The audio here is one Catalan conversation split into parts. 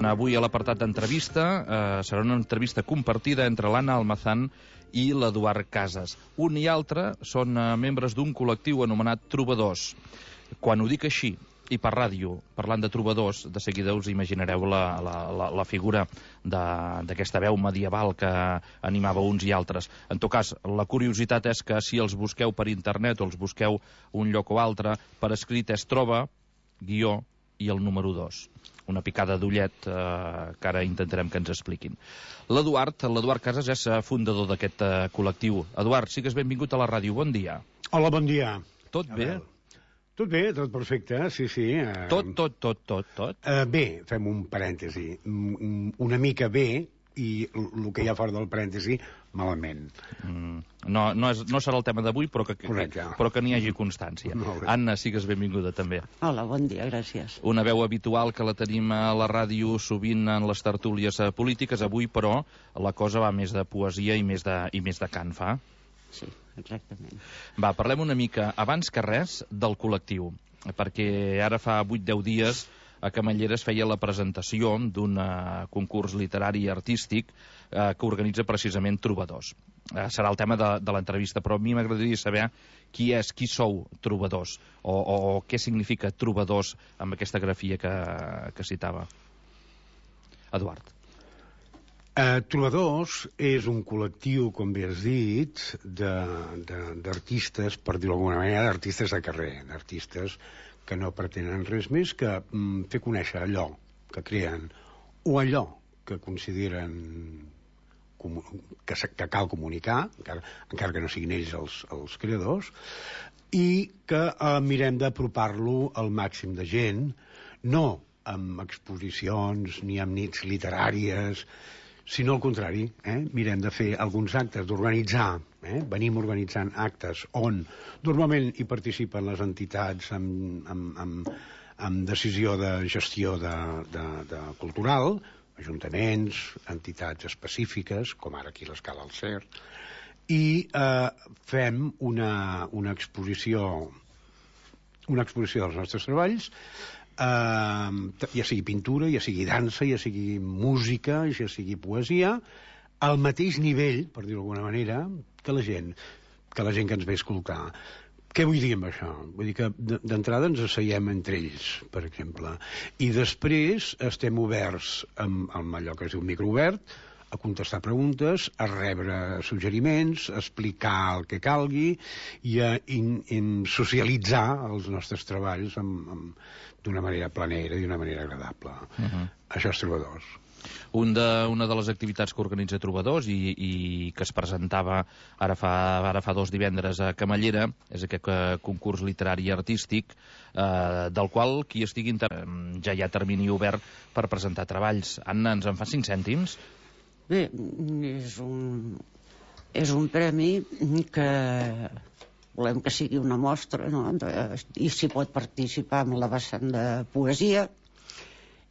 avui a l'apartat d'entrevista serà una entrevista compartida entre l'Anna Almazán i l'Eduard Casas. Un i altre són membres d'un col·lectiu anomenat Trobadors. Quan ho dic així, i per ràdio, parlant de trobadors, de seguida us imaginareu la figura d'aquesta veu medieval que animava uns i altres. En tot cas, la curiositat és que si els busqueu per internet o els busqueu un lloc o altre, per escrit és troba, guió i el número 2. Una picada d'ullet que ara intentarem que ens expliquin. L'Eduard Casas és fundador d'aquest col·lectiu. Eduard, sigues benvingut a la ràdio. Bon dia. Hola, bon dia. Tot bé? Tot bé, tot perfecte, sí. Tot? Bé, fem un parèntesi. Una mica bé, i el que hi ha fora del parèntesi, malament. No serà el tema d'avui, però que n'hi hagi constància. Anna, sigues benvinguda també. Hola, bon dia, gràcies. Una veu habitual que la tenim a la ràdio sovint en les tertúlies polítiques. Avui, però, la cosa va més de poesia i més de cant, fa? Sí, exactament. Va, parlem una mica, abans que res, del col·lectiu, perquè ara fa 8-10 dies a Camallera es feia la presentació d'un concurs literari i artístic que organitza precisament Trobadors. Serà el tema de l'entrevista, però a mi m'agradaria saber qui sou Trobadors, o què significa Trobadors amb aquesta grafia que citava. Eduard. Trobadors és un col·lectiu, com bé has dit, d'artistes, per dir-ho d'alguna manera, d'artistes de carrer, d'artistes que no pretenen res més que fer conèixer allò que creen o allò que consideren que cal comunicar, encara que no siguin ells els creadors, i que mirem d'apropar-lo al màxim de gent, no amb exposicions ni amb nits literàries, sinó al contrari, mirem de fer alguns actes, d'organitzar, venim organitzant actes on normalment hi participen les entitats amb decisió de gestió de cultural, ajuntaments, entitats específiques, com ara aquí l'Escala al Cer, i fem una exposició dels nostres treballs, ja sigui pintura, ja sigui dansa, ja sigui música, ja sigui poesia, al mateix nivell, per dir-ho d'alguna manera, que la gent que ens ve a escoltar. Què vull dir amb això? Vull dir que d'entrada ens asseiem entre ells, per exemple, i després estem oberts amb allò que es diu microobert, a contestar preguntes, a rebre suggeriments, a explicar el que calgui i a socialitzar els nostres treballs d'una manera planera i d'una manera agradable. Això és Trobadors. Una de les activitats que organitza Trobadors i que es presentava ara fa 2 divendres a Camallera és aquest concurs literari i artístic del qual qui estigui ja hi ha termini obert per presentar treballs. Anna, ens en fa 5 cèntims? Bé, és un premi que volem que sigui una mostra, no? I s'hi pot participar amb la vessant de poesia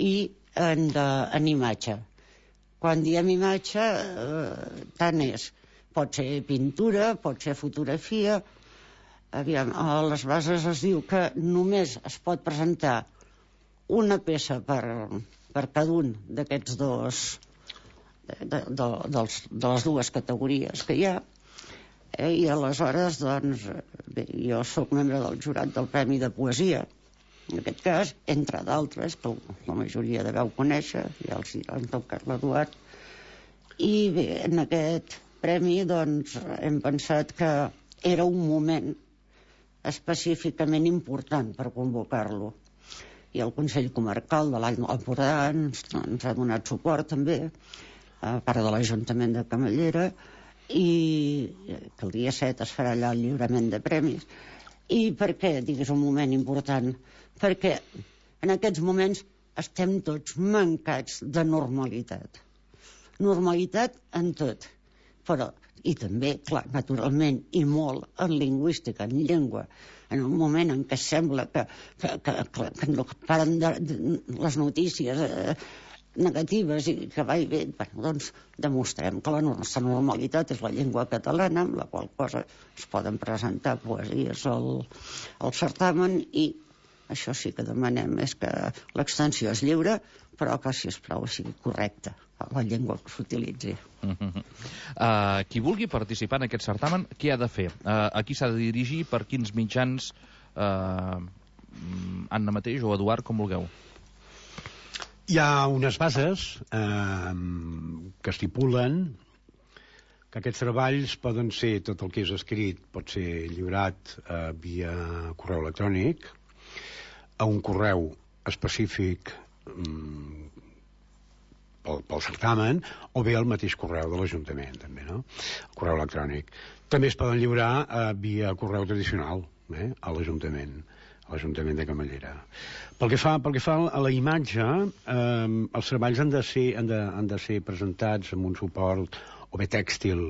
i en imatge. Quan diem imatge, tant és. Pot ser pintura, pot ser fotografia. Aviam, a les bases es diu que només es pot presentar una peça per cada un d'aquests de les dues categories que hi ha, i aleshores doncs bé, jo sóc membre del jurat del Premi de Poesia, en aquest cas, entre d'altres que la majoria deveu conèixer, ja els han tocat l'Eduard, i bé, en aquest premi doncs hem pensat que era un moment específicament important per convocar-lo, i el Consell Comarcal de l'Alt Empordà ens ha donat suport també, a part de l'Ajuntament de Camallera, i que el dia 7 es farà allà el lliurament de premis. I per què dic és un moment important? Perquè en aquests moments estem tots mancats de normalitat. Normalitat en tot, però, i també, clar, naturalment, i molt en lingüística, en llengua, en un moment en què sembla que no paren les notícies negatives i que va i ve, bueno, doncs demostrem que la nostra normalitat és la llengua catalana, amb la qual cosa es poden presentar poesies al certamen i Això sí que demanem, és que l'extensió és lliure, però que, si us plau, sigui correcta la llengua que s'utilitzi. Qui vulgui participar en aquest certamen, què ha de fer? A qui s'ha de dirigir? Per quins mitjans? Anna mateix o Eduard, com vulgueu. Hi ha unes bases que estipulen que aquests treballs poden ser, tot el que és escrit pot ser lliurat via correu electrònic a un correu específic pel certamen, o bé el mateix correu de l'Ajuntament, també, no? El correu electrònic. També es poden lliurar via correu tradicional, a l'Ajuntament de Camallera. Pel que fa a la imatge, els treballs han de ser presentats amb un suport o bé tèxtil,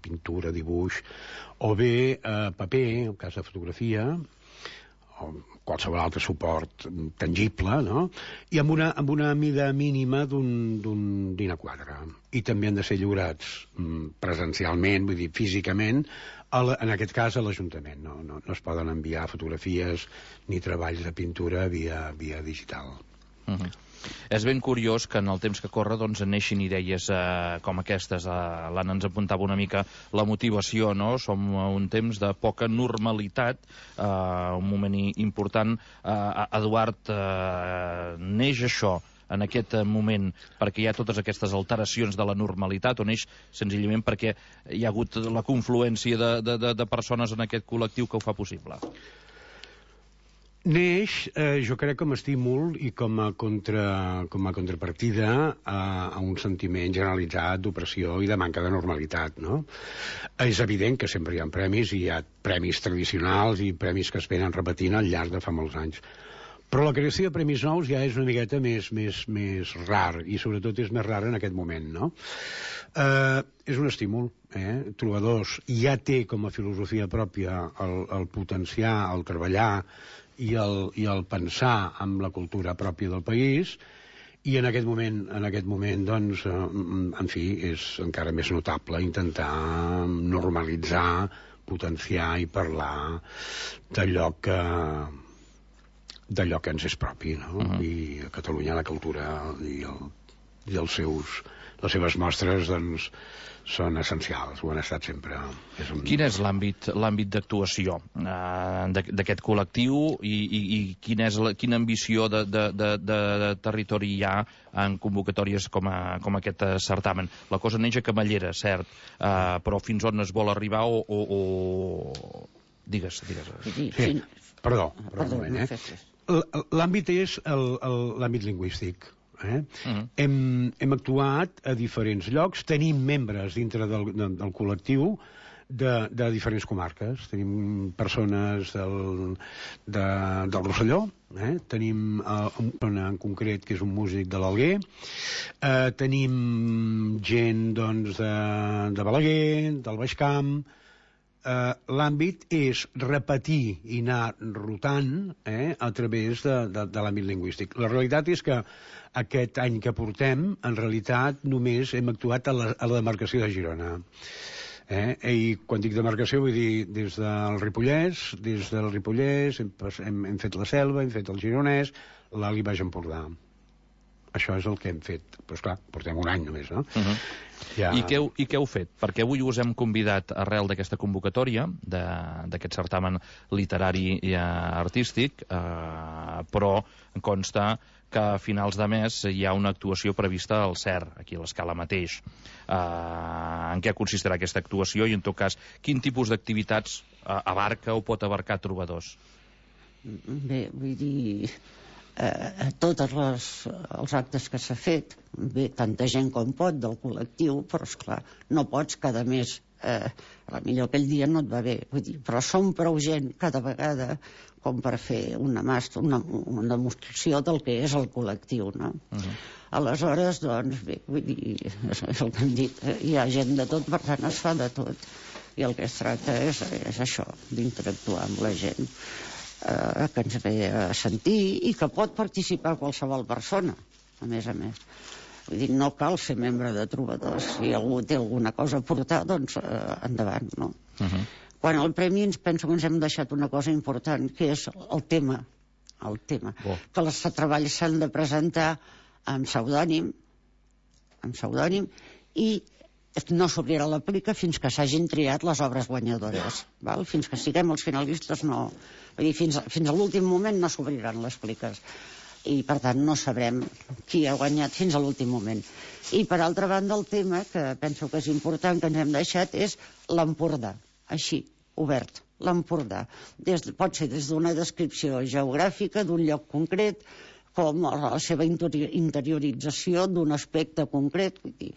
pintura, dibuix, o bé paper, en cas de fotografia, o qualsevol altre suport tangible, no? I amb una mida mínima d'un A4. I també han de ser lliurats presencialment, vull dir, físicament, en aquest cas a l'Ajuntament. No es poden enviar fotografies ni treballs de pintura via digital. És ben curiós que en el temps que corre doncs neixin idees com aquestes. L'Anna ens apuntava una mica la motivació, no? Som un temps de poca normalitat, un moment important. Eduard, neix això en aquest moment perquè hi ha totes aquestes alteracions de la normalitat, o neix senzillament perquè hi ha hagut la confluència de persones en aquest col·lectiu que ho fa possible? Neix, jo crec, com a estímul i com a contrapartida a un sentiment generalitzat d'opressió i de manca de normalitat, no? És evident que sempre hi ha premis, i hi ha premis tradicionals i premis que es venen repetint al llarg de fa molts anys. Però la creació de premis nous ja és una miqueta més rar, i sobretot és més rar en aquest moment, no? És un estímul, Trobadors ja té com a filosofia pròpia el potenciar, el treballar i el pensar amb la cultura pròpia del país, i en aquest moment doncs, en fi, és encara més notable intentar normalitzar, potenciar i parlar d'allò que ens és propi, no? I a Catalunya la cultura i les seves mostres doncs són essencials, ho han estat sempre. Quin és l'àmbit d'actuació d'aquest col·lectiu i quina ambició de territori hi ha en convocatòries com aquest certamen? La cosa neix a Camallera, cert, però fins on es vol arribar o... Digues. Sí. Perdó, un moment, L'àmbit és l'àmbit lingüístic. Hem actuat a diferents llocs, tenim membres dintre del col·lectiu de diferents comarques. Tenim persones del Rosselló, tenim una persona en concret que és un músic de l'Alguer, tenim gent doncs, de Balaguer, del Baix Camp. L'àmbit és repetir i anar rotant a través de l'àmbit lingüístic. La realitat és que aquest any que portem, en realitat, només hem actuat a la demarcació de Girona. I quan dic demarcació vull dir des del Ripollès hem fet la Selva, hem fet el Gironès, l'Alt i Baix Empordà. Això és el que hem fet. Però esclar, portem un any només, no? I què heu fet? Perquè avui us hem convidat arrel d'aquesta convocatòria, d'aquest certamen literari i artístic, però em consta que a finals de mes hi ha una actuació prevista al CER, aquí a l'Escala mateix. En què consistirà aquesta actuació i, en tot cas, quin tipus d'activitats abarca o pot abarcar Trobadors? Bé, vull dir... tots els actes que s'ha fet, bé, tanta gent com pot del col·lectiu, però esclar, no pots cada mes, millor aquell dia no et va bé, vull dir, però som prou gent cada vegada com per fer una demostració del que és el col·lectiu, no? Aleshores, doncs, bé, vull dir, és el que hem dit, hi ha gent de tot, per tant es fa de tot, i el que es tracta és això, d'interactuar amb la gent que ens ve a sentir i que pot participar qualsevol persona, a més. Vull dir, no cal ser membre de Trobadors. Si algú té alguna cosa a portar, doncs endavant, no? Quan al premi penso que ens hem deixat una cosa important, que és el tema el tema. Que els treballs s'han de presentar amb pseudònim, i no s'obrirà la plica fins que s'hagin triat les obres guanyadores. Val? Fins que siguem els finalistes no... Vull dir, fins a l'últim moment no s'obriran les pliques. I, per tant, no sabrem qui ha guanyat fins a l'últim moment. I, per altra banda, el tema, que penso que és important, que ens hem deixat, és l'Empordà. Així, obert, l'Empordà. Pot ser des d'una descripció geogràfica d'un lloc concret, com la seva interiorització d'un aspecte concret, vull dir,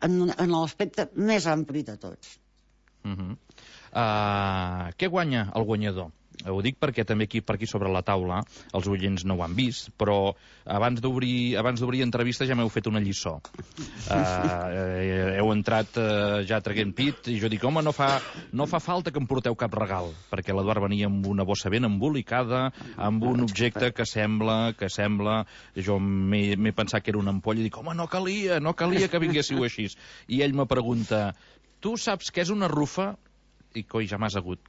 en l'aspecte més ampli de tots. Què guanya el guanyador? Ho dic perquè també per aquí sobre la taula els oients no ho han vist, però abans d'obrir entrevista ja m'heu fet una lliçó. Heu entrat ja traguent pit i jo dic, home, no fa falta que em porteu cap regal, perquè l'Eduard venia amb una bossa ben embolicada, amb un objecte que sembla... Jo m'he pensat que era una ampolla i dic, home, no calia que vinguéssiu així. I ell me pregunta, tu saps què és una rufa? I coi, ja m'has agut.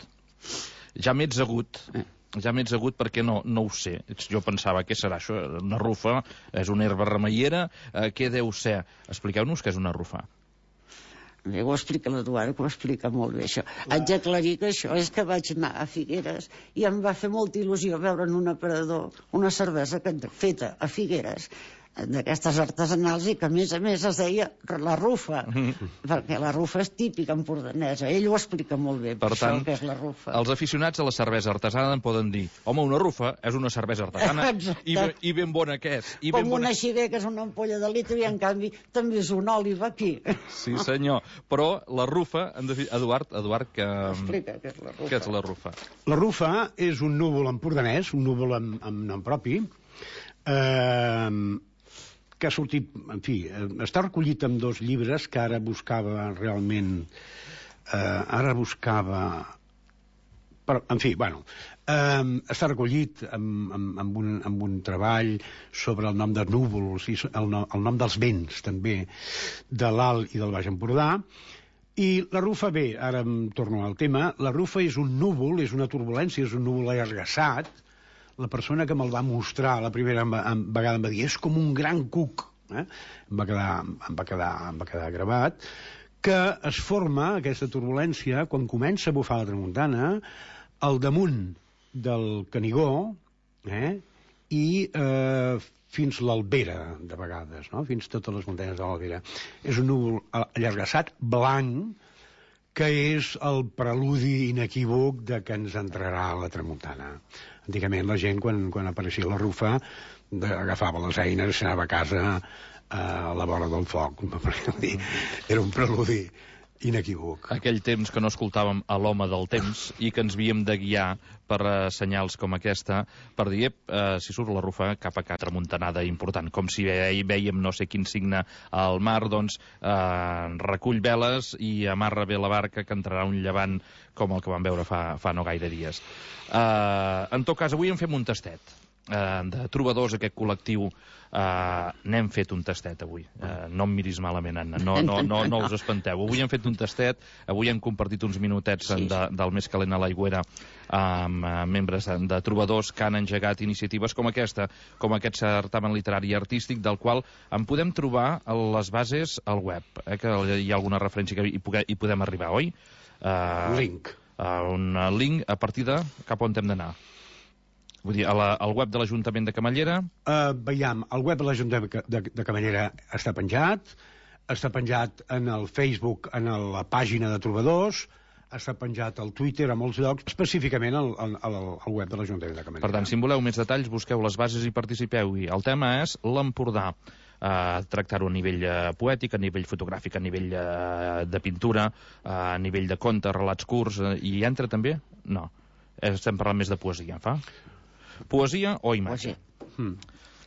Ja m'he agut perquè no ho sé. Jo pensava, què serà això? Una rufa? És una herba remeiera? Què deu ser? Expliqueu-nos què és una rufa. Bé, ho explica l'Eduard, que ho explica molt bé, això. Haig d'aclarir que això és que vaig anar a Figueres i em va fer molta il·lusió veure en un aparador una cervesa feta a Figueres, d'aquestes artesanals, i que a més es deia la rufa, perquè la rufa és típica empordanesa. Ell ho explica molt bé, per tant, això que és la rufa. Els aficionats a la cervesa artesana en poden dir, home, una rufa és una cervesa artesana i ben bona que és. Com una xiguer, que és una ampolla de litre, i en canvi també és una òliva aquí. Sí, senyor. Però la rufa, Eduard, explica què és la rufa. Què és la rufa? La rufa és un núvol empordanès, un núvol amb nom propi, que ha sortit, en fi, està recollit en 2 llibres que ara buscava realment... està recollit amb un treball sobre el nom de núvols i el nom dels vents, també, de l'Alt i del Baix Empordà. I la rufa, bé, ara em torno al tema, la rufa és un núvol, és una turbulència, és un núvol allargassat. La persona que me'l va mostrar la primera vegada em va dir, és com un gran cuc, em va quedar gravat, que es forma, aquesta turbulència, quan comença a bufar la tramuntana, al damunt del Canigó, i fins l'Albera, de vegades, no? Fins totes les muntanyes de l'Albera. És un núvol allargassat, blanc, que és el preludi inequívoc de que ens entrarà la tramuntana. Antigament la gent, quan apareixia la rufa, agafava les eines i s'anava a casa a la vora del foc. Era un preludi inequívoc. Aquell temps que no escoltàvem a l'home del temps i que ens havíem de guiar per senyals com aquesta, per dir, si surt la rufa, cap a cap tramuntanada important. Com si vèiem no sé quin signe al mar, doncs recull veles i amarra bé la barca, que entrarà un llevant com el que vam veure fa no gaire dies. En tot cas, avui en fem un tastet de trobadors, aquest col·lectiu. N'hem fet un tastet avui, no em miris malament, Anna, no us espanteu. Avui hem fet un tastet, avui hem compartit uns minutets del Més calent a l'aigüera amb membres de trobadors que han engegat iniciatives com aquesta, com aquest certamen literari i artístic, del qual en podem trobar les bases al web, que hi ha alguna referència que hi podem arribar, oi? Link. Un link a partir de cap on hem d'anar? Vull dir, al web de l'Ajuntament de Camallera? Veiem, el web de l'Ajuntament de Camallera està penjat en el Facebook, en la pàgina de Trobadors, està penjat al Twitter, a molts llocs, específicament al web de l'Ajuntament de Camallera. Per tant, si en voleu més detalls, busqueu les bases i participeu-hi. El tema és l'Empordà. Tractar-ho a nivell poètic, a nivell fotogràfic, a nivell de pintura, a nivell de contes, relats curts, i entra també? No. Estem parlant més de poesia, fa? Poesia o imatge?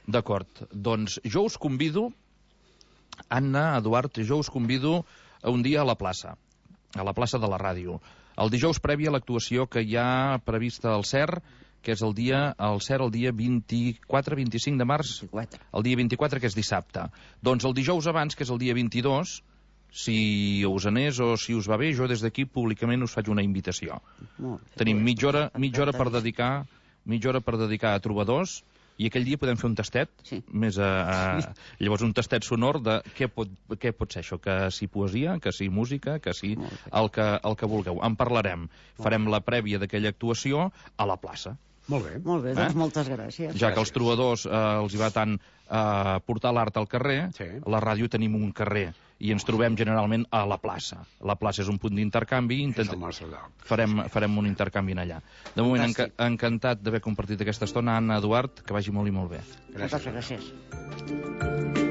D'acord. Doncs jo us convido, Anna, Eduard, jo us convido un dia a la plaça de la ràdio. El dijous previ a l'actuació que hi ha prevista al CER, que és el dia 24-25 de març, el dia 24, que és dissabte. Doncs el dijous abans, que és el dia 22, si us anés o si us va bé, jo des d'aquí públicament us faig una invitació. Tenim mitja hora per dedicar mitja hora per dedicar a trobadors, i aquell dia podem fer un tastet, Sí. Llavors un tastet sonor de què pot ser això, que si poesia, que si música, que si el que vulgueu. En parlarem. Farem la prèvia d'aquella actuació a la plaça. Molt bé. Molt bé, doncs moltes gràcies. Ja que als trobadors els hi va tant portar l'art al carrer, Sí. a la ràdio tenim un carrer i ens trobem generalment a la plaça. La plaça és un punt d'intercanvi, És el nostre lloc. farem un intercanvi en allà. De moment, Fantàstic. encantat d'haver compartit aquesta estona. Anna, Eduard, que vagi molt i molt bé. Moltes gràcies.